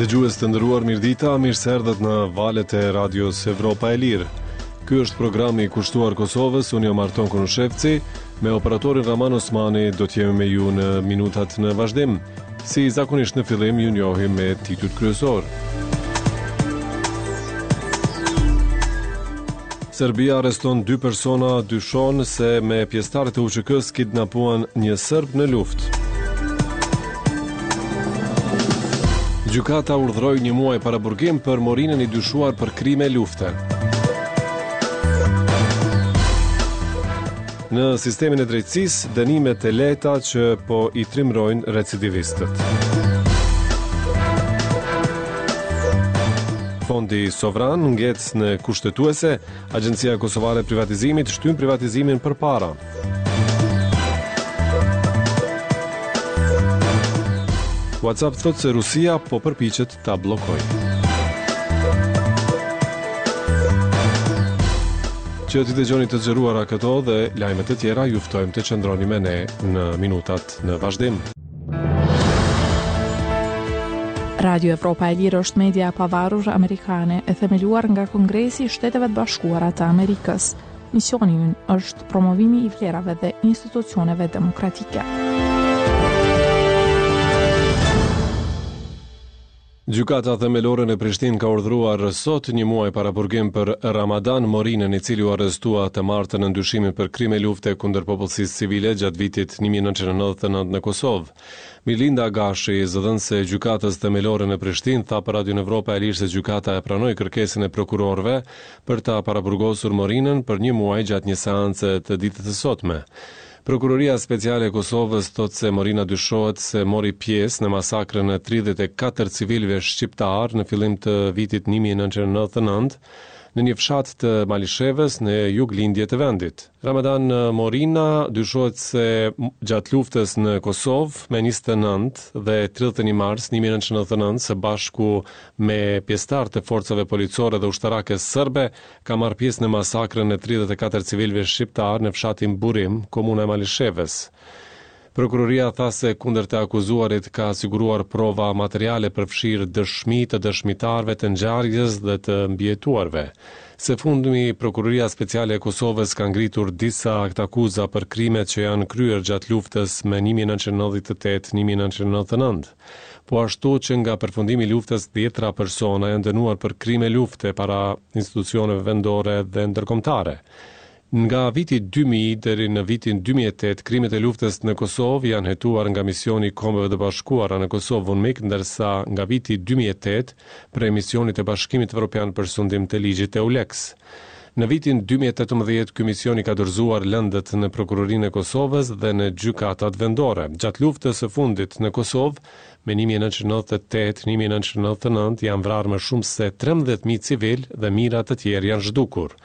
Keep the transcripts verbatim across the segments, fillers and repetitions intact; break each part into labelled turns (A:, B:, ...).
A: Dëgjues të nderuar, mirëdita, mirë se erdhët në valet e Radios Evropa e Lirë. Ky është programi i kushtuar Kosovës, unë jam Arton Konushevci, me operatorin Raman Osmani do të jemi me ju në minutat në vazhdim. Si zakonisht në fillim ju njohim me titujt kryesor. Serbia arreston dy persona, dyshon se me pjesëtarët e U Ç K-s kidnapuan një serb në luftë. Gjykata urdhëroi një muaj paraburgim për Morinën, i dyshuar për krime lufte. Në sistemin e drejtësisë, dënimet e lehta që po i trimrojnë recidivistët. Fondi Sovran ngec në Kushtetuese, Agjencia Kosovare e Privatizimit shtyn privatizimin përpara. WhatsApp thotë se Rusia po përpiqet ta bllokojë. Që t'i dëgjoni të zgjeruara këto dhe lajme të tjera, ju ftojmë të qëndroni me ne në minutat në vazhdim.
B: Radio Evropa e Lirë është media e pavarur amerikane e themeluar nga Kongresi i Shteteve të Bashkuara të Amerikës. Misioni ynë është promovimi i vlerave dhe institucioneve demokratike.
A: Gjykata Themelore në Prishtinë ka urdhëruar sot një muaj paraburgim për Ramadan Morinën, i cili u arrestua të martën në dyshimin për krime lufte kundër popullsisë civile gjatë vitit një mijë e nëntëqind e nëntëdhjetë e nëntë në Kosovë. Milinda Gashi, zëdhënëse e Gjykatës Themelore në Prishtinë, tha për Radion Evropa e Lirë se gjykata e pranoi kërkesën e prokurorëve për ta paraburgosur Morinën për një muaj gjatë një seance të ditës së sotme. Prokuroria Speciale e Kosovës thotë se Morina dyshohet se mori pjesë në masakrën e tridhjetë e katër civilëve shqiptar në fillim të vitit një mijë e nëntëqind e nëntëdhjetë e nëntë në një fshat të Malishevës, në juglindje të vendit. Ramadan Morina dyshohet se gjatë luftës në Kosovë me njëzet e nëntë dhe tridhjetë e një mars një mijë e nëntëqind e nëntëdhjetë e nëntë, së bashku me pjesëtarë të forcave policore dhe ushtarake serbe, ka marrë pjesë në masakrën e tridhjetë e katër civilëve shqiptar në fshatin Burim, komuna e Malishevës. Prokuroria tha se kundër të akuzuarit ka siguruar prova materiale, përfshirë dëshmi të dëshmitarëve të ngjarjes dhe të mbijetuarve. Së fundmi, Prokuroria Speciale e Kosovës ka ngritur disa aktakuza për krimet që janë kryer gjatë luftës me një mijë e nëntëqind e nëntëdhjetë e tetë-një mijë e nëntëqind e nëntëdhjetë e nëntë. Po ashtu, që nga përfundimi i luftës, dhjetra persona janë dënuar për krime lufte para institucioneve vendore dhe ndërkombëtare. Nga viti dy mijë deri në vitin dy mijë e tetë, krimet e luftës në Kosovë janë hetuar nga misioni i Kombeve të Bashkuara në Kosovë, UNMIK, ndërsa nga viti dy mijë e tetë prej misionit të Bashkimit Evropian për sundim të ligjit, EULEX. Në vitin dy mijë e tetëmbëdhjetë, ky mision i ka dorëzuar lëndët në Prokurorinë e Kosovës dhe në gjykatat vendore. Gjatë luftës së fundit në Kosovë, me një mijë e nëntëqind e nëntëdhjetë e tetë-një mijë e nëntëqind e nëntëdhjetë e nëntë, janë vrarë më shumë se trembëdhjetë mijë civil dhe mijëra të tjerë janë zhdukur.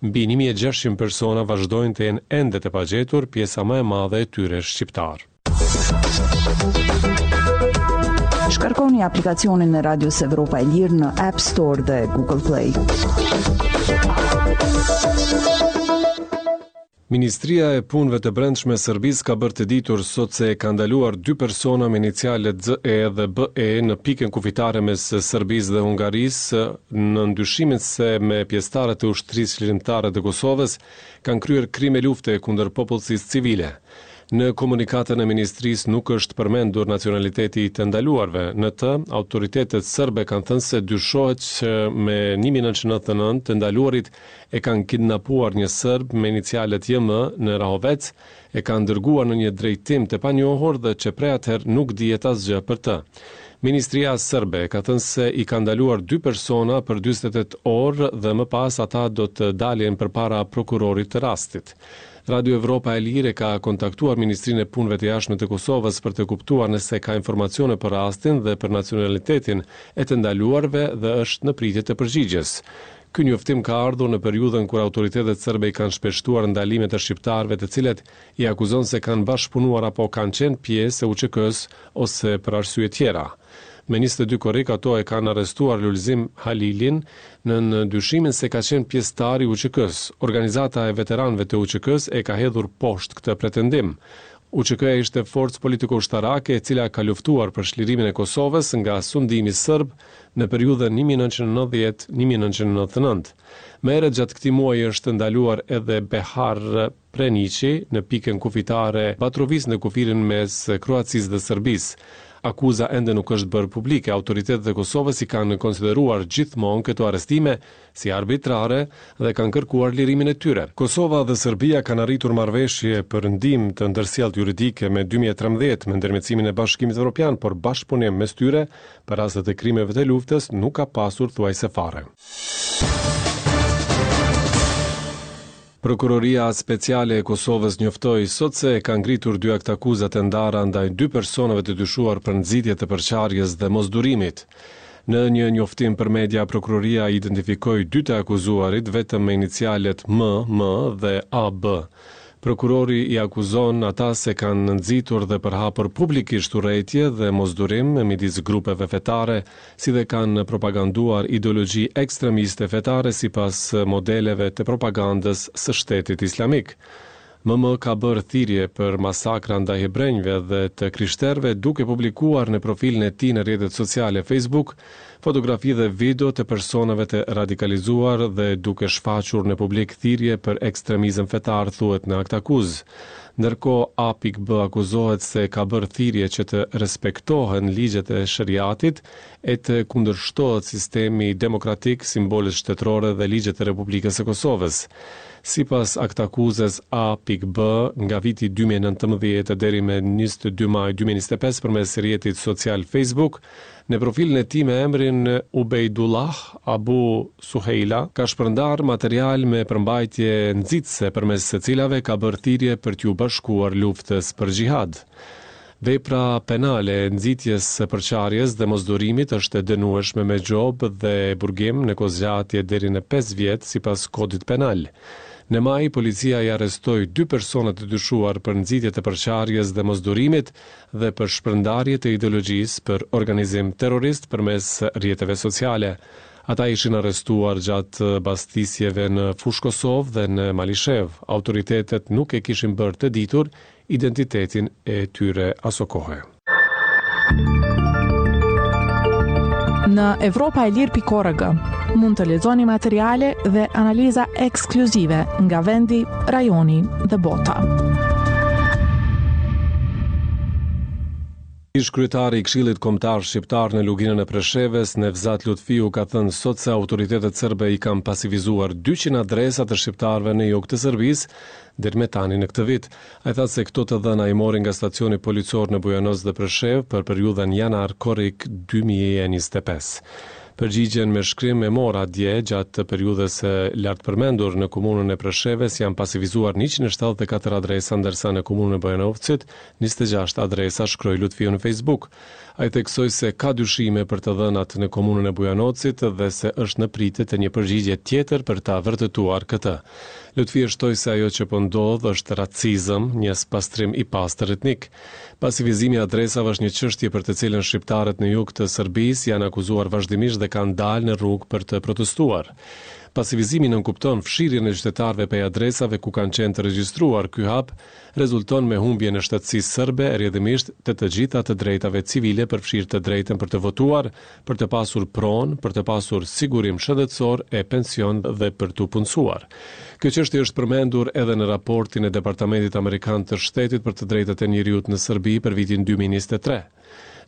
A: Mbi një mijë e gjashtëqind persona vazhdojnë të jenë ende të pagjetur, pjesa më e madhe e tyre shqiptar.
C: Shkarkoni aplikacionin e Radios Evropa e Lirë në App Store dhe Google Play.
A: Ministria e Punëve të Brendshme e Serbisë ka bërë të ditur sot se ka ndaluar dy persona me inicialet Z E dhe B E në pikën kufitare mes Serbisë dhe Hungarisë, në dyshimin se me pjesëtarët e Ushtrisë Çlirimtare të Kosovës kanë kryer krime lufte kundër popullsisë civile. Në komunikatën e ministrisë nuk është përmendur nacionaliteti i të ndaluarve. Në të, autoritetet serbe kanë thënë se dyshohet që me një mijë e nëntëqind e nëntëdhjetë e nëntë të ndaluarit e kanë kidnapuar një serb me inicialet J M në Rahovec, e kanë dërguar në një drejtim të panjohur dhe që prej atëherë nuk dihet asgjë për të. Ministria serbe ka thënë se i ka ndaluar dy persona për dyzet e tetë orë dhe më pas ata do të dalin përpara prokurorit të rastit. Radio Evropa e Lirë ka kontaktuar Ministrinë e Punëve të Jashtme të Kosovës për të kuptuar nëse ka informacione për rastin dhe për nacionalitetin e të ndaluarve dhe është në pritje të përgjigjes. Ky njoftim ka ardhur në periudhën kur autoritetet serbe i kanë shpeshtuar ndalimet e shqiptarëve, të cilët i akuzon se kanë bashkëpunuar apo kanë qenë pjesë e U Ç K-s ose për arsye tjera. Me njëzet e dy korrik ato e kanë arrestuar Lulzim Halilin në dyshimin se ka qenë pjesëtar i U Ç K-s. Organizata e veteranëve të U Ç K-s e ka hedhur poshtë këtë pretendim. U Ç K-ja ishte forcë politiko-ushtarake e cila ka luftuar për çlirimin e Kosovës nga sundimi serb në periudhën një mijë e nëntëqind e nëntëdhjetë një mijë e nëntëqind e nëntëdhjetë e nëntë. Më herët gjatë këtij muaji është ndaluar edhe Behar Preniqi në pikën kufitare Batrovic në kufirin mes Kroacisë dhe Serbisë. Akuza ende nuk është bërë publike. Autoritetet e Kosovës i kanë konsideruar gjithmonë këto arrestime si arbitrare dhe kanë kërkuar lirimin e tyre. Kosova dhe Serbia kanë arritur marrëveshje për ndihmë të ndërsjelltë juridike me dy mijë e trembëdhjetë me ndërmjetësimin e Bashkimit Evropian, por bashkëpunim mes tyre për rastet e krimeve të luftës nuk ka pasur thuajse fare. Prokuroria Speciale e Kosovës njoftoi sot se ka ngritur dy aktakuza të ndara ndaj dy personave të dyshuar për nxitje të përçarjes dhe mosdurimit. Në një njoftim për media, prokuroria identifikoi dy të akuzuarit vetëm me inicialet M, M dhe A B. Prokurori i akuzon ata se kanë nxitur dhe përhapur publikisht urrejtje dhe mosdurim midis grupeve fetare, si dhe kanë propaganduar ideologji ekstremiste fetare sipas modeleve të propagandës së Shtetit Islamik. M M ka bërë thirrje për masakra ndaj hebrenjve dhe të krishterëve, duke publikuar në profilin e tij në rrjetet sociale Facebook fotografi dhe video të personave të radikalizuar dhe duke shfaqur në publik thirrje për ekstremizëm fetar, thuhet në aktakuzë. Ndërkohë, A P akuzohet se ka bërë thirrje që të respektohen ligjet e shariatit e të kundërshtohet sistemi demokratik, simbolet shtetërore dhe ligjet e Republikës së Kosovës. Sipas aktakuzës, A P nga viti dy mijë e nëntëmbëdhjetë deri me njëzet e dy maj dy mijë e njëzet e pesë përmes rrjetit social Facebook, në profilin e tij me emrin Ubejdullah Abu Suheila, ka shpërndar material me përmbajtje nxitëse përmes së cilave ka bërë thirrje për t'ju bashkuar luftës për xhihad. Vepra penale e nxitjes së përçarjes dhe mosdurimit është e dënueshme me gjobë dhe burgim në kohëzgjatje deri në pesë vjet sipas Kodit Penal. Në maj, policia i arrestoi dy persona të dyshuar për nxitje të përçarjes dhe mosdurimit dhe për shpërndarje të ideologjisë për organizim terrorist përmes rrjeteve sociale. Ata ishin arrestuar gjatë bastisjeve në Fushë Kosovë dhe në Malishevë. Autoritetet nuk e kishin bërë të ditur identitetin e tyre asokohe.
B: Në evropaelire pikë org mund të lexoni materiale dhe analiza ekskluzive nga vendi, rajoni dhe bota.
A: Ish kryetari i Këshillit Kombëtar Shqiptar në Luginën e Preshevës, Nevzat Lutfiu, ka thënë sot se autoritetet serbe i kanë pasivizuar dyqind adresa të shqiptarëve në jug të Serbisë deri me tani në këtë vit. Ai tha se këto të dhëna i mori nga stacioni policor në Bujanoc dhe Preshevë për periudhën janar-korrik dy mijë e njëzet e pesë. Përgjigjen me shkrim e mora dje. Gjatë periudhës së lartpërmendur, në komunën e Preshevës janë pasivizuar njëqind e shtatëdhjetë e katër adresa, ndërsa në komunën e Bujanovcit njëzet e gjashtë adresa, shkroi Lutfiu në Facebook. Ai theksoi se ka dyshime për të dhënat në komunën e Bujanocit dhe se është në pritje të një përgjigje tjetër për ta vërtetuar këtë. Lutfiu shtoi se ajo që po ndodh është racizëm, një spastrim i pastër etnik. Pasivizimi i adresave është një çështje për të cilën shqiptarët në jug të Serbisë janë akuzuar vazhdimisht dhe kanë dalë në rrugë për të protestuar. Pasivizimi nënkupton fshirjen e qytetarëve prej adresave ku kanë qenë të regjistruar. Ky hap rezulton me humbjen e shtetësisë serbe, rrjedhimisht të të gjitha të drejtave civile, përfshirë të drejtën për të votuar, për të pasur pronë, për të pasur sigurim shëndetësor e pension dhe për t'u punësuar. Kjo çështje është përmendur edhe në raportin e Departamentit Amerikan të Shtetit për të drejtat e njeriut në Serbi për vitin dy mijë e njëzet e tre.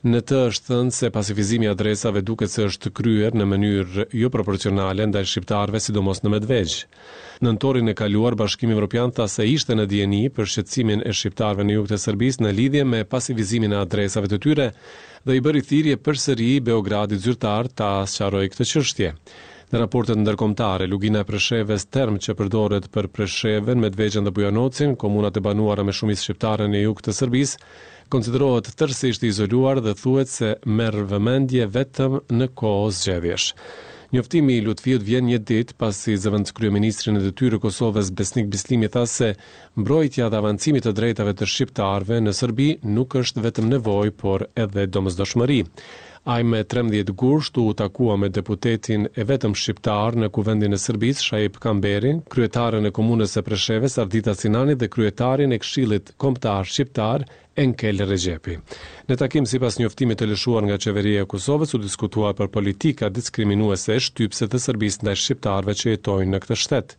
A: Në të është thënë se pasivizimi i adresave duket se është kryer në mënyrë joproporcionale ndaj shqiptarëve, sidomos në Medvegj. Nëntorin e kaluar, Bashkimi Evropian tha se ishte në dijeni për shqetësimin e shqiptarëve në jug të Serbisë në lidhje me pasivizimin e adresave të tyre dhe i bëri thirrje përsëri Beogradit zyrtar ta sqarojë këtë çështje. Në raportet ndërkombëtare, Lugina e Preshevës, term që përdoret për Preshevën, Medvegjën dhe Bujanocin, komunat e banuara me shumicë shqiptare në jug të Serbisë, konsiderohet tërësisht i izoluar dhe thuhet se merr vëmendje vetëm në kohë zgjedhjesh. Njoftimi i Lutfiut vjen një ditë pasi zëvendëskryeministri në detyrë i Kosovës, Besnik Bislimi, tha se mbrojtja dhe avancimi të drejtave të shqiptarëve në Serbi nuk është vetëm nevojë, por edhe domosdoshmëri. Ai me trembëdhjetë gusht u takua me deputetin e vetëm shqiptar në Kuvendin e Serbisë, Shaip Kamberin, kryetaren e Komunës së Preshevës, Ardita Sinani dhe kryetarin e Këshillit Kombëtar Shqiptar, Enkel Rexhepi. Në takim, sipas njoftimit të lëshuar nga Qeveria e Kosovës, u diskutua për politika diskriminuese e shtypëse të Serbisë ndaj shqiptarëve që jetojnë në këtë shtet.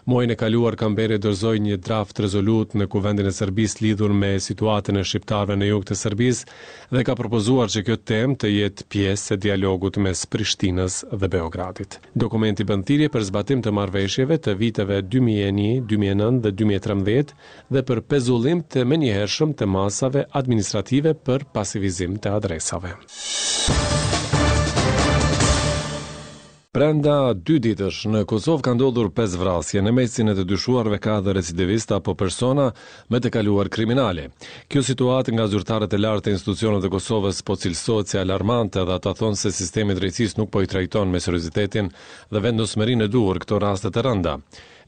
A: Muajin e kaluar Kamberi dorëzoi një draft rezolutë në Kuvendin e Serbisë lidhur me situatën e shqiptarëve në jug të Serbisë dhe ka propozuar që kjo temë të jetë pjesë e dialogut mes Prishtinës dhe Beogradit. Dokumenti bën thirrje për zbatim të marrëveshjeve të viteve dy mijë e një, dy mijë e nëntë dhe dy mijë e trembëdhjetë dhe për pezullim të menjëhershëm të masave administrative për pasivizim të adresave. Brenda dy ditësh në Kosovë ka ndodhur pesë vrasje, në mesin e të dyshuarve ka edhe recidivistë apo persona me të kaluar kriminale. Kjo situatë nga zyrtarët e lartë të institucioneve të Kosovës po cilësohet si alarmante dhe ata thonë se sistemi i drejtësisë nuk po i trajton me seriozitetin dhe vendosmërinë e duhur këto raste të rënda.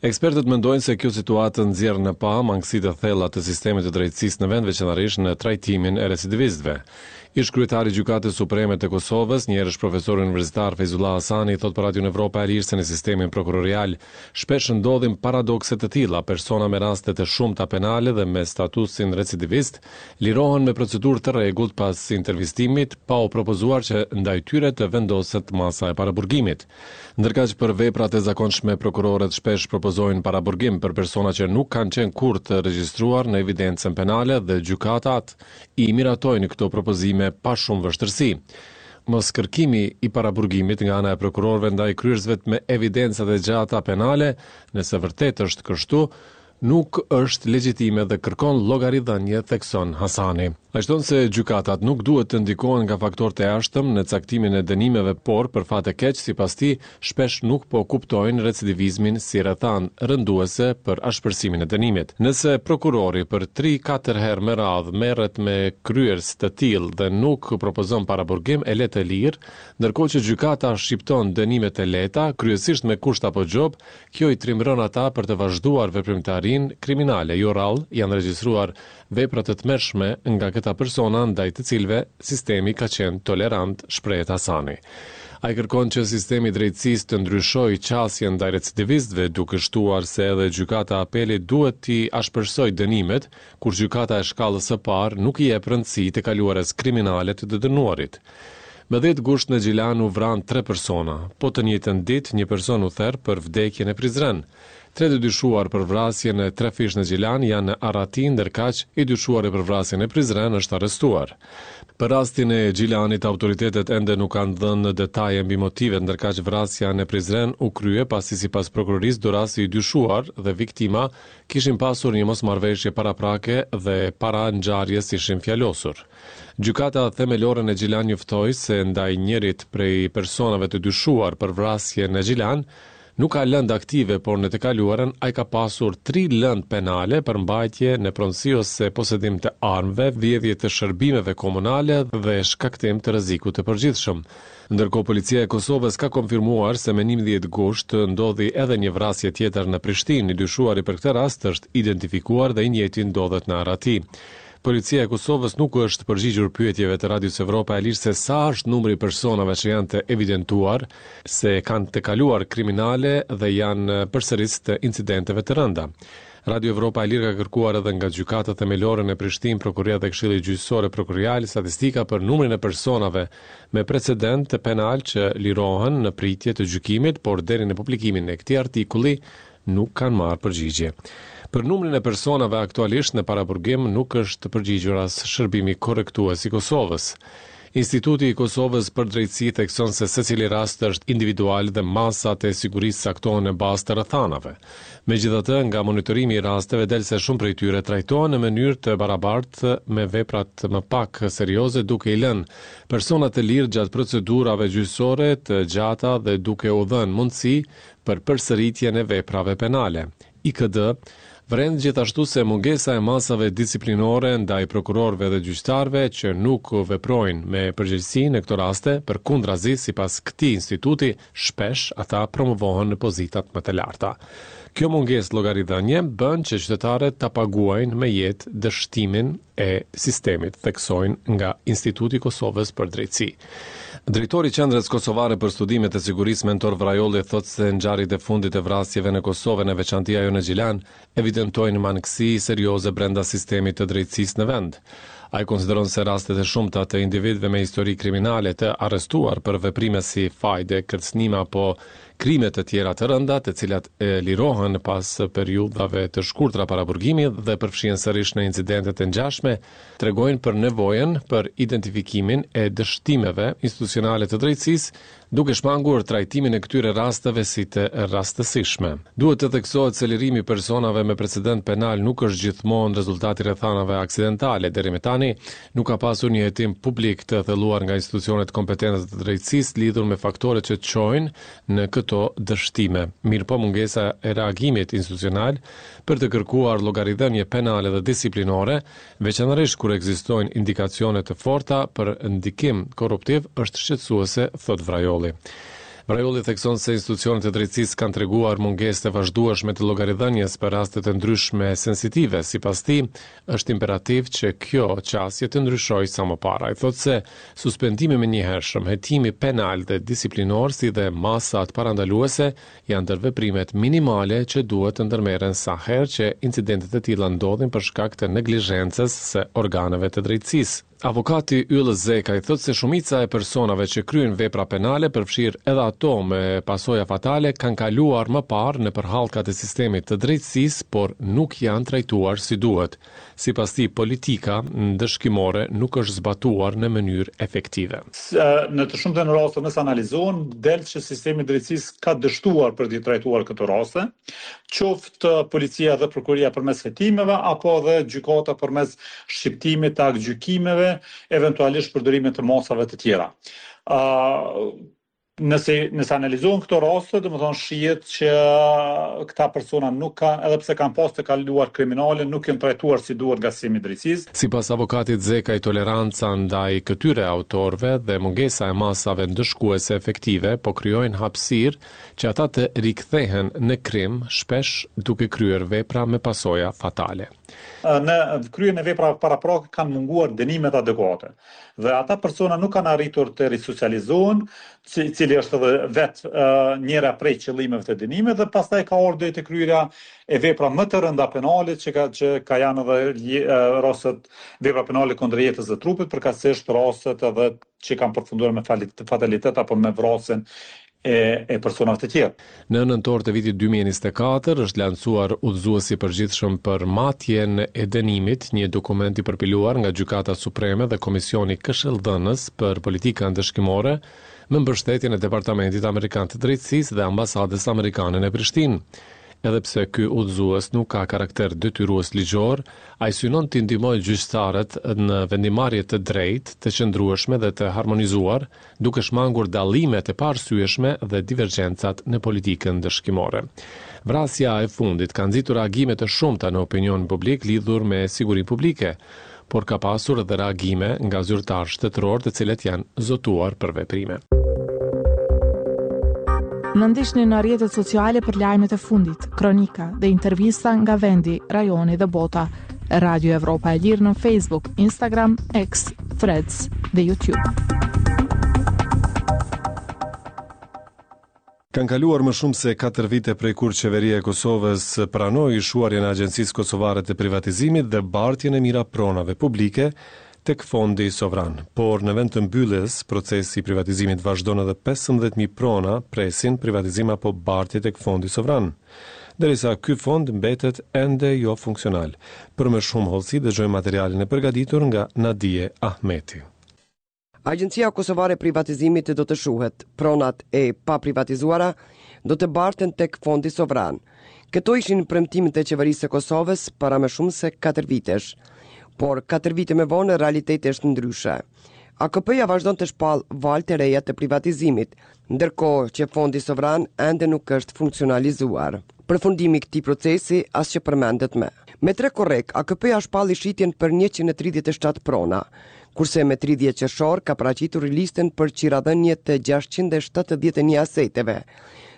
A: Ekspertët mendojnë se kjo situatë nxjerr në pah mangësitë e thella të sistemit të drejtësisë në vend, veçanërisht në trajtimin e recidivistëve. Ish kryetari i Gjykatës Supreme të Kosovës, njëherësh profesor universitar Fejzullah Hasani, thotë për Radion Evropa e Lirë se në sistemin prokurorial shpesh ndodhin paradokse të tilla, persona me raste të shumta penale dhe me statusin recidivist lirohen me procedurë të rregullt pas intervistimit, pa u propozuar që ndaj tyre të vendoset masa e paraburgimit. Ndërkaq për veprat e zakonshme prokurorët shpesh propozojnë paraburgim për persona që nuk kanë qenë kurrë të regjistruar në evidencën penale dhe gjykatat i miratojnë këto propozime pa shumë vështirësi. Mos kërkimi i paraburgimit nga ana e prokurorëve ndaj kryerësve me evidencat e gjata penale, nëse vërtet është kështu, nuk është legjitime dhe kërkon llogaridhënie, thekson Hasani. Ai shton se gjykatat nuk duhet të ndikohen nga faktorët e jashtëm në caktimin e dënimeve, por për fat të keq, sipas tij, shpesh nuk po kuptojnë recidivizmin si rrethanë rënduese për ashpërsimin e dënimit. Nëse prokurori për tri katër herë me radhë merret me kryerës të tillë dhe nuk propozon paraburgim, e le të lirë, ndërkohë që gjykata shqipton dënimet e lehta, kryesisht me kusht apo gjob, kjo i trimëron ata për të vazhduar veprimtarinë kriminale. Jo rrallë janë regjistruar vepra të tmerrshme nga këta persona ndaj të cilëve sistemi ka qenë tolerant, shprehet Hasani. Ai kërkon që sistemi i drejtësisë të ndryshojë qasjen ndaj recidivistëve, duke shtuar se edhe gjykata e apelit duhet t'i ashpërsojë dënimet, kur gjykata e shkallës së parë nuk i jep rëndësi të kaluarës kriminale të të dënuarit. Me dhjetë gusht në Gjilan u vranë tre persona. Po të njëjtën ditë një person u ther për vdekjen e Prizren. Tre të dyshuar për vrasjen e trefish në Gjilan janë në arrati, ndërkaq i dyshuari për vrasjen e Prizren është arrestuar. Për rastin e Gjilanit, autoritetet ende nuk kanë dhënë detaje mbi motivet, ndërkaq vrasja në Prizren u krye pasi sipas prokurorisë dorasi i dyshuar dhe viktima kishin pasur një mosmarrëveshje paraprake dhe para ngjarjes ishin fjalosur. Gjykata themelore në Gjilan njoftoi se ndaj njërit prej personave të dyshuar për vrasje në Gjilan nuk ka lëndë aktive, por në të kaluarën ai ka pasur tri lëndë penale për mbajtje në pronësi ose posedim të armëve, vjedhje të shërbimeve komunale dhe shkaktim të rrezikut të përgjithshëm. Ndërkohë policia e Kosovës ka konfirmuar se me njëmbëdhjetë gusht ndodhi edhe një vrasje tjetër në Prishtinë. I dyshuari për këtë rast është identifikuar dhe i njëjti ndodhet në arrati. Policia e Kosovës nuk është përgjigjur pyetjeve të Radios Evropa e Lirë se sa është numri i personave që janë të evidentuar se kanë të kaluar kriminale dhe janë përsëris të incidenteve të rënda. Radio Evropa e Lirë ka kërkuar edhe nga Gjykata Themelore në Prishtinë, Prokuroria dhe Këshilli Gjyqësor e Prokurorial statistika për numrin e personave me precedent penal që lirohen në pritje të gjykimit, por deri në publikimin e këtij artikulli nuk kanë marrë përgjigje. Për numrin e personave aktualisht në paraburgim nuk është përgjigjur as shërbimi korrektues i Kosovës. Instituti i Kosovës për Drejtësi thekson se secili rast është individual dhe masat e sigurisë caktohen në bazë të rrethanave. Megjithatë, nga monitorimi i rasteve del se shumë prej tyre trajtohen në mënyrë të barabartë me veprat më pak serioze, duke i lënë personat të lirë gjatë procedurave gjyqësore të gjata dhe duke u dhënë mundësi për përsëritjen e veprave penale. I K D Vëren gjithashtu se mungesa e masave disiplinore ndaj prokurorëve dhe gjyqtarëve që nuk veprojnë me përgjegjësi në këto raste, përkundrazi sipas këtij instituti, shpesh ata promovohen në pozitat më të larta. Kjo mungesë llogaridhënie bën që qytetarët ta paguajnë me jetë dështimin e sistemit, theksojnë nga Instituti i Kosovës për Drejtësi. Drejtori i Qendrës Kosovare për Studimet e Sigurisë Mentor Vrajolli thotë se ngjarjet e fundit e vrasjeve në Kosovë, në veçanti ajo në Gjilan, evidentojnë mangësi serioze brenda sistemit të drejtësisë në vend. Ai konsideron se rastet e shumta të individëve me histori kriminale të arrestuar për veprime si fajde, kërcënime apo krime të tjera të rënda, të cilat e lirohen pas periudhave të shkurtra paraburgimi dhe përfshihen sërish në incidente të ngjashme, tregojnë për nevojën për identifikimin e dështimeve institucionale të drejtësisë, duke shmangur trajtimin e këtyre rasteve si të rastësishme. Duhet të theksohet se lirimi i personave me precedent penal nuk është gjithmonë rezultat i rrethanave aksidentale. Deri më tani nuk ka pasur një hetim publik të thelluar nga institucionet kompetente të drejtësisë lidhur me faktorët që çojnë në këto dështime. Mirëpo mungesa e reagimit institucional për të kërkuar llogaridhënie penale dhe disiplinore, veçanërisht kur ekzistojnë indikacione të forta për ndikim korruptiv, është shqetësuese, thotë Vrajolli. Vrajolli thekson se institucionet e drejtësisë kanë treguar mungesë të vazhdueshme të llogaridhënies për raste të ndryshme sensitive. Sipas tij, është imperativ që kjo qasje të ndryshojë sa më parë. Ai thotë se suspendimi i menjëhershëm, hetimi penal dhe disiplinor si dhe masat parandaluese janë ndër veprimet minimale që duhet të ndërmerren sa herë që incidentet e tilla ndodhin për shkak të neglizhencës së organeve të drejtësisë. Avokati Yll Zekaj thotë se shumica e personave që kryejnë vepra penale, përfshirë edhe ato me pasoja fatale, kanë kaluar më parë në përhallkat e sistemit të drejtësisë, por nuk janë trajtuar si duhet. Sipas tij, politika ndëshkimore nuk është zbatuar në mënyrë efektive.
D: Në të shumtën e rasteve, nëse analizohen, del që sistemi i drejtësisë ka dështuar për të trajtuar këto raste, qoftë policia dhe prokuroria përmes hetimeve apo edhe gjykata përmes shqiptimit të aktgjykimeve, eventualisht përdorimit të masave të tjera. Uh, nëse nëse analizohen këto raste, domethënë shihet që këta persona nuk kanë, edhe pse kanë pas të kaluar kriminale, nuk janë trajtuar si duhet nga sistemi i drejtësisë.
A: Sipas avokatit Zekaj, toleranca ndaj këtyre autorëve dhe mungesa e masave ndëshkuese efektive po krijojnë hapësirë që ata të rikthehen në krim, shpesh duke kryer vepra me pasoja fatale.
D: Në kryerjen e veprave paraprake kanë munguar dënimet adekuate dhe ata persona nuk kanë arritur të risocializohen, cili është edhe vetë uh, njëra prej qëllimeve të dënimit, dhe pastaj ka ardhur deri te kryerja e vepra më të rënda penale që ka që ka janë edhe uh, rastet vepra penale kundër jetës dhe trupit, përkatësisht rastet edhe që kanë përfunduar me fatalitet apo me vrasjen e, e personave të tjerë.
A: Në nëntor të vitit dy mijë e njëzet e katër është lançuar udhëzuesi i përgjithshëm për matjen e dënimit, një dokument i përpiluar nga Gjykata Supreme dhe Komisioni Këshilldhënës për Politika Ndëshkimore me mbështetjen e Departamentit Amerikan të Drejtësisë dhe Ambasadës Amerikane në Prishtinë. Edhe pse ky udhëzues nuk ka karakter detyrues ligjor, ai synon të ndihmojë gjyqtarët në vendimarrje të drejtë, të qëndrueshme dhe të harmonizuar, duke shmangur dallimet e paarsyeshme dhe divergjencat në politikën ndëshkimore. Vrasja e fundit ka nxitur reagime të shumta në opinion publik lidhur me sigurinë publike, por ka pasur edhe reagime nga zyrtarë shtetëror të cilët janë zotuar për veprime.
B: Në ndiqni në rrjetet sociale për lajmet e fundit, kronika dhe intervista nga vendi, rajoni dhe bota. Radio Evropa e Lirë në Facebook, Instagram, X, Threads dhe YouTube.
A: Kanë kaluar më shumë se katër vite prej kur qeveria e Kosovës pranoi shuarjen e Agjencisë Kosovare të Privatizimit dhe bartjen e mira pronave publike tek Fondi Sovran. Por në vend të mbylljes, procesi i privatizimit vazhdon edhe pesëmbëdhjetë mijë prona presin privatizim apo bartje tek Fondi Sovran, derisa ky fond mbetet ende jo funksional. Për më shumë hollësi dëgjojmë materialin e përgatitur nga Nadie Ahmeti.
E: Agjencia Kosovare e Privatizimit do të shuhet, pronat e paprivatizuara do të barten tek Fondi Sovran. Këto ishin premtimet e qeverisë së Kosovës para më shumë se katër vitesh. Por katër vite më vonë realiteti është ndryshe. A K P-ja vazhdon të shpall valë të reja të privatizimit, ndërkohë që Fondi Sovran ende nuk është funksionalizuar. Përfundimi i këtij procesi as që përmendet më. Me tre korrik, A K P-ja shpalli shitjen për njëqind e tridhjetë e shtatë prona, kurse me tridhjetë qershor ka paraqitur listën për qiradhënie të gjashtëqind e shtatëdhjetë e një aseteve,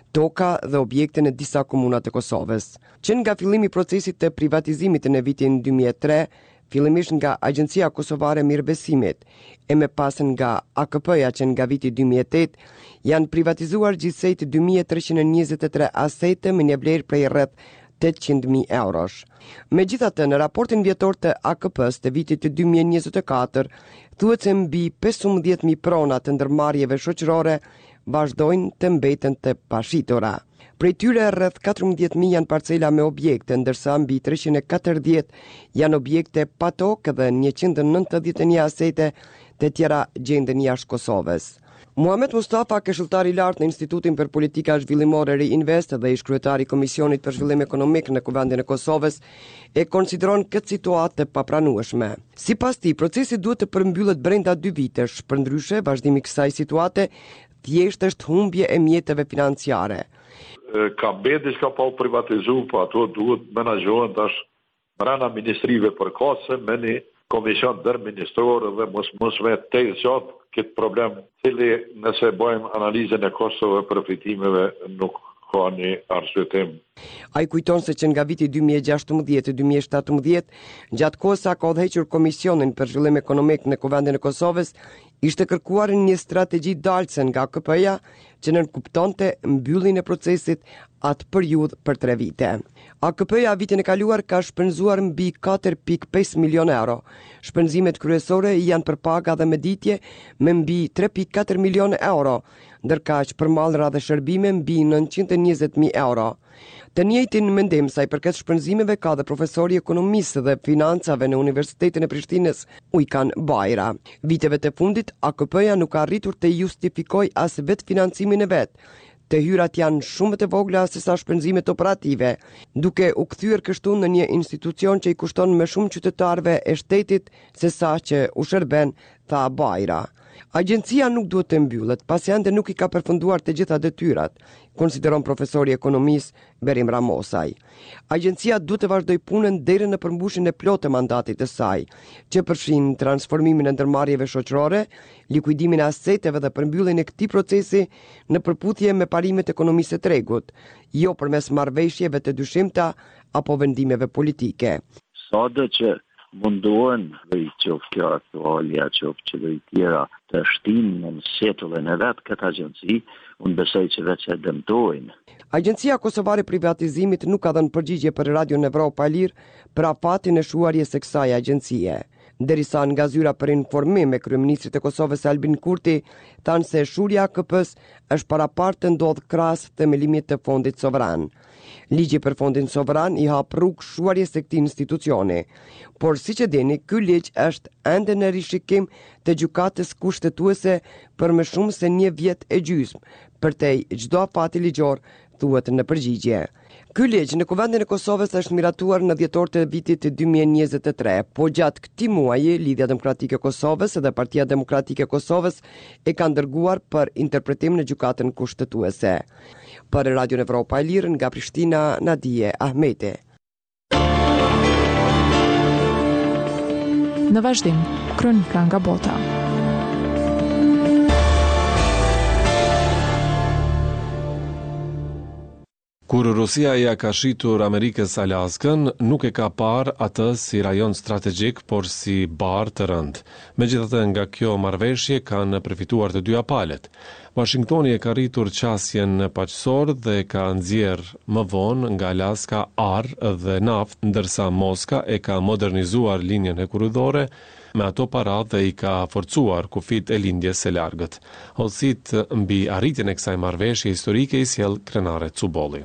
E: toka dhe objekte në disa komuna të Kosovës. Që nga fillimi i procesit të privatizimit në vitin dy mijë e tre, fillimisht nga Agjencia Kosovare e Mirëbesimit, e më pas nga A K P-ja që nga viti dy mijë e tetë, janë privatizuar gjithsej dy mijë e treqind e njëzet e tre asete me një vlerë prej rreth tetëqind mijë eurosh. Megjithatë, në raportin vjetor të A K P-s të vitit dy mijë e njëzet e katër, thuhet se mbi pesëmbëdhjetë mijë prona të ndërmarrjeve shoqërore vazhdojnë të mbeten të pashitura. Prej tyre rreth katërmbëdhjetë mijë janë parcela me objekte, ndërsa mbi treqind e katërdhjetë janë objekte pa tokë dhe njëqind e nëntëdhjetë e një asete të tjera gjenden jashtë Kosovës. Muhamet Mustafa, këshilltar i lartë në Institutin për Politika Zhvillimore Riinvest dhe ish kryetari i Komisionit për Zhvillim Ekonomik në Kuvendin e Kosovës, e konsideron këtë situatë të papranueshme. Sipas tij, procesi duhet të përmbyllet brenda dy vitesh, përndryshe vazhdimi i kësaj situate thjesht është humbje e mjeteve financiare.
F: Ka mbet diçka pa u privatizu, po ato duhet menaxhohen tash brenda ministrive përkatëse me një komision ndërministror dhe mos mos me te zgjat këtë problem, cili nëse bëjmë analizën e kostove përfitimeve nuk ka një arsyetim.
E: Ai kujton se që nga viti dy mijë e gjashtëmbëdhjetë-dy mijë e shtatëmbëdhjetë, gjatë kohës sa ka udhëhequr Komisionin për Zhvillim Ekonomik në Kuvendin e Kosovës, ishte kërkuar një strategji dalëse nga A K P-ja që nënkuptonte mbylljen e procesit atë periudhë për tre vite. A K P-ja vitin e kaluar ka shpenzuar mbi katër pikë pesë milion euro. Shpenzimet kryesore janë për paga dhe mëditje me mbi tre pikë katër milion euro, ndërkaq për mallra dhe shërbime mbi nëntëqind e njëzet mijë euro. Të njëjtin mendim sa i përket shpenzimeve ka dhe profesori i ekonomisë dhe financave në Universitetin e Prishtinës, Ujkan Bajra. Viteve të fundit, A K P-ja nuk ka arritur të justifikoj as vetë financimin e vet. Të hyrat janë shumë të vogla se sa shpenzimet operative, duke u kthyer kështu në një institucion që i kushton më shumë qytetarëve e shtetit se sa që u shërben, tha Bajra. Agjencia nuk duhet të mbyllet, pasi ende nuk i ka përfunduar të gjitha detyrat, konsideron profesori i ekonomisë Berim Ramosaj. Agjencia duhet të vazhdojë punën deri në përmbushjen e plotë të mandatit të saj, që përfshin transformimin e ndërmarrjeve shoqërore, likuidimin e aseteve dhe përmbylljen e këtij procesi në përputhje me parimet e ekonomisë së tregut, jo përmes marrëveshjeve të dyshimta apo vendimeve politike.
G: Sado që mundohen, dhe i qoftë kjo aktualja, qoftë qeveri tjera, të shtinë në setullën e vetë këtë agjenci, unë besoj që veç e dëmtojnë.
E: Agjencia Kosovare e Privatizimit nuk ka dhënë përgjigje për Radion Evropa e Lirë për afatin e shuarjes së kësaj agjencie. Derisa nga zyra për informim e kryeministrit të Kosovës Albin Kurti thanë se shuarja e A K P-s është paraparë të ndodhë krahas themelimit të Fondit Sovran. Ligji për Fondin Sovran i hap rrugë shuarjes së këtij institucioni. Por siç e dini, ky ligj është ende në rishikim të gjykatës kushtetuese për më shumë se një vjet e gjysmë, përtej çdo afati ligjor, thuhet në përgjigje. Ky ligj në Kuvendin e Kosovës është miratuar në dhjetor të vitit dy mijë e njëzet e tre, po gjatë këtij muaji Lidhja Demokratike e Kosovës dhe Partia Demokratike e Kosovës e kanë dërguar për interpretim në gjykatën kushtetuese. Për Radion Evropa e Lirë nga Prishtina, Nadie Ahmeti.
B: Në vazhdim, kronika nga bota.
A: Kur Rusia ja ka shitur Amerikës Alaskën, nuk e ka parë atë si rajon strategjik, por si barrë të rëndë. Megjithatë, nga kjo marrëveshje kanë përfituar të dyja palët. Washingtoni e ka rritur qasjen në paqësor dhe ka nxjerr më vonë nga Alaska ar dhe naftë, ndërsa Moska e ka modernizuar linjën hekurudhore me ato para dhe i ka forcuar kufit e lindjes së largët. Hollësitë mbi arritjen e kësaj marrëveshje historike i sjell Krenare Cubolli.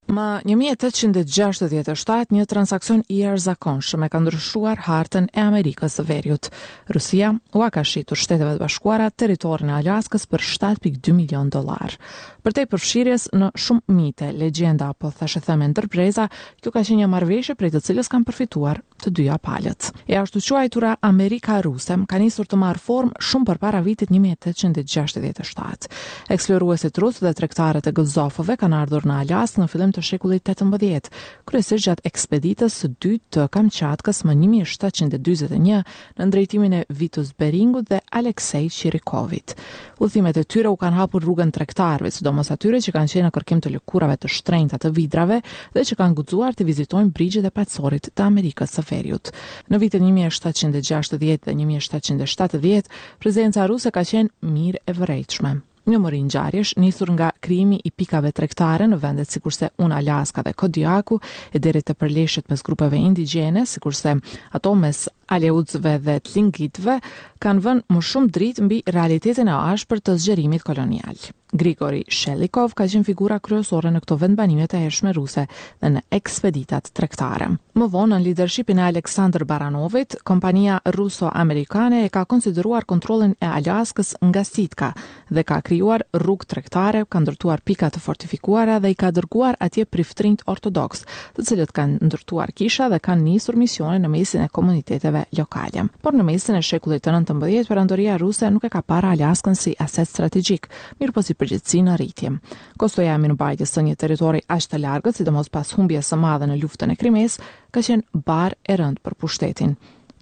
B: Më një mijë e tetëqind e gjashtëdhjetë e shtatë, një transakcion i jashtëzakonshëm e ka ndryshuar hartën e Amerikës së Veriut. Rusia ua ka shitur Shteteve të Bashkuara territorin e Alaskës për shtatë pikë dy milion dollar. Përtej përfshirjes në shumë mite, legjenda apo thashetheme ndër breza, kjo ka qenë një marrëveshje prej të cilës kanë përfituar të dyja palët. E ashtu quajtura Amerika Ruse ka nisur të marrë formë shumë përpara vitit një mijë e tetëqind e gjashtëdhjetë e shtatë. Eksploruesit rusë dhe tregtarët e gëzofëve kanë ardhur në Alaskë në fillim të shekullit tetëmbëdhjetë, kryesisht gjatë ekspeditës së dytë të Kamçatkës më një mijë e shtatëqind e dyzet e një nën drejtimin e Vitus Beringut dhe Aleksej Çirikovit. Udhëtimet e tyre u kanë hapur rrugën tregtarëve, sidomos atyre që kanë qenë në kërkim të lëkurave të shtrenjta të vidrave dhe që kanë guxuar të vizitojnë brigjet e Paqësorit të Amerikës së Veriut. Në vitet një mijë e shtatëqind e gjashtëdhjetë dhe një mijë e shtatëqind e shtatëdhjetë, prezenca ruse ka qenë mirë e vërejtshme. Një mori ngjarjesh, nisur nga krijimi i pikave tregtare në vendet sikurse Unalaska dhe Kodiaku, e deri te përleshjet mes grupeve indigjene, sikurse ato mes Aleutsëve dhe Tlingitëve, kanë vënë më shumë dritë mbi realitetin e ashpër të zgjerimit kolonial. Grigori Shelikov ka qenë figura kryesore në këto vendbanime të hershme ruse dhe në ekspeditat tregtare. Më vonë, nën lidershipin e Aleksandr Baranovit, kompania ruso-amerikane e ka konsideruar kontrollin e Alaskës nga Sitka dhe ka krijuar rrugë tregtare, ka ndërtuar pika të fortifikuara dhe i ka dërguar atje priftërinjtë ortodoks, të cilët kanë ndërtuar kisha dhe kanë nisur misione në mesin e komuniteteve lokale. Por në mesin e shekullit të nëntëmbëdhjetë, perandoria ruse nuk e ka parë Alaskën si aset strategjik, mirëpo si përgjegjësi në rritje. Kostoja e mirëmbajtjes së një territori aq të largët, sidomos pas humbjes së madhe në luftën e Krimesë, ka qenë barrë e rëndë për pushtetin.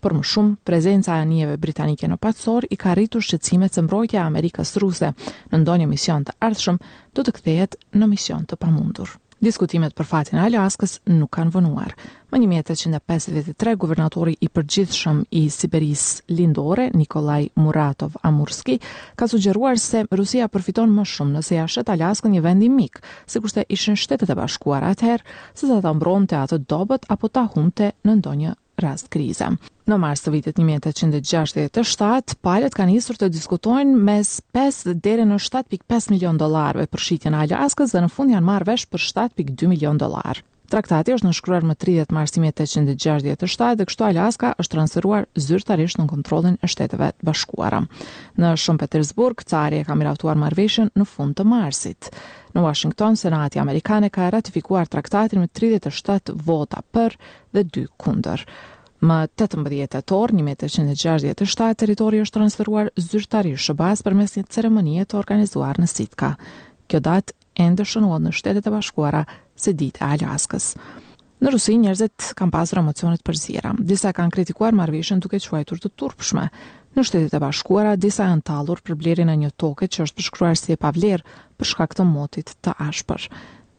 B: Për më shumë, prezenca e anijeve britanike në Paqësor i ka rritur shqetësimet se mbrojtja e Amerikës ruse në ndonjë mision të ardhshëm do të kthehet në mision të pamundur. Diskutimet për fatin e Alaskës nuk kanë vonuar. Më një mijë e tetëqind e pesëdhjetë e tre, guvernatori i përgjithshëm i Siberisë Lindore, Nikolaj Muratov Amurski, ka sugjeruar se Rusia përfiton më shumë nëse ja shet Alaskën një vendi mik, sikurse ishin Shtetet e Bashkuara atëherë, se sa ta mbronte atë dobët apo ta humbte në ndonjë rast krize. Në mars të vitit një mijë e tetëqind e gjashtëdhjetë e shtatë, palët kanë nisur të diskutojnë mes pesë deri në shtatë pikë pesë milion dollarëve për shitjen e Alaskës dhe në fund janë marrë vesh për shtatë pikë dy milion dollar. Traktati është nënshkruar më tridhjetë mars një mijë e tetëqind e gjashtëdhjetë e shtatë dhe kështu Alaska është transferuar zyrtarisht në kontrollin e Shteteve të Bashkuara. Në Shën Petersburg, cari e ka miratuar marrëveshjen në fund të marsit. Në Washington, Senati amerikan e ka ratifikuar traktatin me tridhjetë e shtatë vota për dhe dy kundër. Më tetëmbëdhjetë tetor një mijë e tetëqind e gjashtëdhjetë e shtatë, territori është transferuar zyrtarisht S H B A-s përmes një ceremonie të organizuar në Sitka. Kjo datë ende shënohet në Shtetet e Bashkuara si ditë e Alaskës. Në Rusi njerëzit kanë pasur emocione të përziera. Disa kanë kritikuar marrëveshjen duke quajtur të turpshme. Në Shtetet e Bashkuara disa janë tallur për blerjen e një toke që është përshkruar si e pavlerë për shkak të motit të ashpër.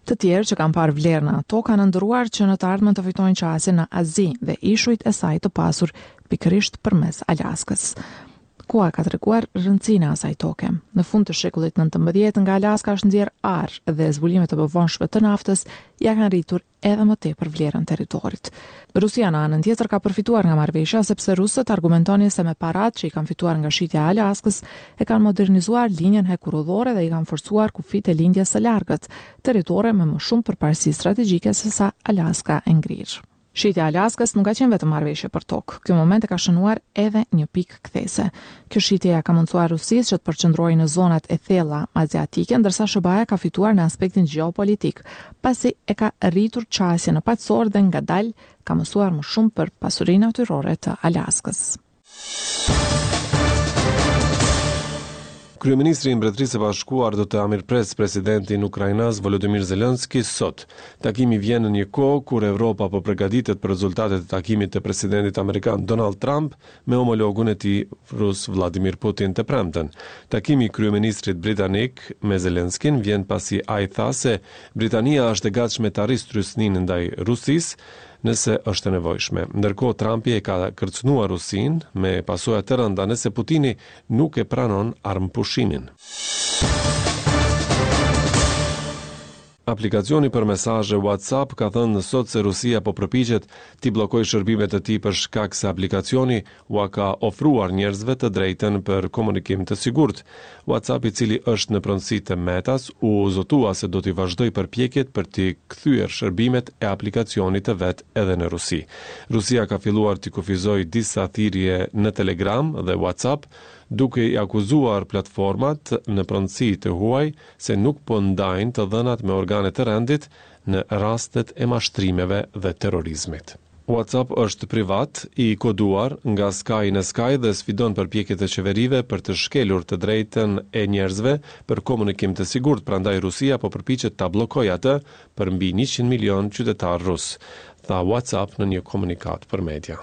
B: Të tjerë që kanë parë vlerë në ato kanë ëndërruar që në të ardhmen të fitojnë qasje në Azi dhe ishujt e saj të pasur pikërisht përmes Alaskës. Koha ka treguar rëndësinë e asaj toke. Në fund të shekullit nëntëmbëdhjetë nga Alaska është nxjerr ar dhe zbulimet e mëvonshme të naftës ja kanë rritur edhe më tepër vlerën territorit. Rusia në anën tjetër ka përfituar nga marrëveshja sepse rusët argumentonin se me paratë që i kanë fituar nga shitja e Alaskës e kanë modernizuar linjën hekurudhore dhe i kanë forcuar kufijtë e lindjes së largët, territore me më shumë përparësi strategjike se sa Alaska e ngrirë. Shitja e Alaskës nuk ka qenë vetëm marrëveshje për tokë. Ky moment e ka shënuar edhe një pikë kthese. Kjo shitje ja ka mundësuar Rusisë që të përqendrohej në zonat e thella aziatike, ndërsa S H B A-ja ka fituar në aspektin gjeopolitik, pasi e ka rritur qasjen në paqësor dhe ngadalë ka mësuar më shumë për pasurinë natyrore të Alaskës.
A: Kryeministri i Mbretërisë së Bashkuar do të mirëpres presidentin ukrainas Volodymyr Zelensky sot. Takimi vjen në një kohë kur Evropa po përgatitet për rezultatet e takimit të presidentit amerikan Donald Trump me homologun e tij rus Vladimir Putin të premten. Takimi i kryeministrit britanik me Zelenskyn vjen pasi ai tha se Britania është e gatshme ta rrisë trysninë ndaj Rusisë nëse është e nevojshme. Ndërkohë Trumpi e ka kërcënuar Rusinë me pasoja të rënda nëse Putini nuk e pranon armëpushimin. Aplikacioni për mesazhe WhatsApp ka thënë sot se Rusia po përpiqet t'i bllokojë shërbimet e tij për shkak se aplikacioni ua ka ofruar njerëzve të drejtën për komunikim të sigurt. WhatsApp, i cili është në pronësi të Metas, u zotua se do t'i vazhdojë përpjekjet për t'i kthyer shërbimet e aplikacionit të vet edhe në Rusi. Rusia ka filluar t'i kufizojë disa thirrje në Telegram dhe WhatsApp, duke i akuzuar platformat në pronësi të huaj se nuk po ndajnë të dhënat me organet e rendit në rastet e mashtrimeve dhe terrorizmit. WhatsApp është privat, i koduar nga skaj në skaj dhe sfidon përpjekjet e qeverive për të shkelur të drejtën e njerëzve për komunikim të sigurt, prandaj Rusia po përpiqet ta bllokojë atë për mbi njëqind milion qytetarë rusë, tha WhatsApp në një komunikatë për media.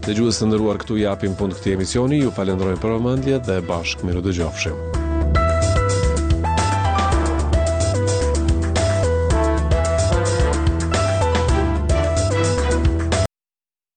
A: Dëgjues të nderuar, këtu i japim fund këtij emisioni, ju falënderojmë për vëmendje dhe bashkë mirudëgjofshim.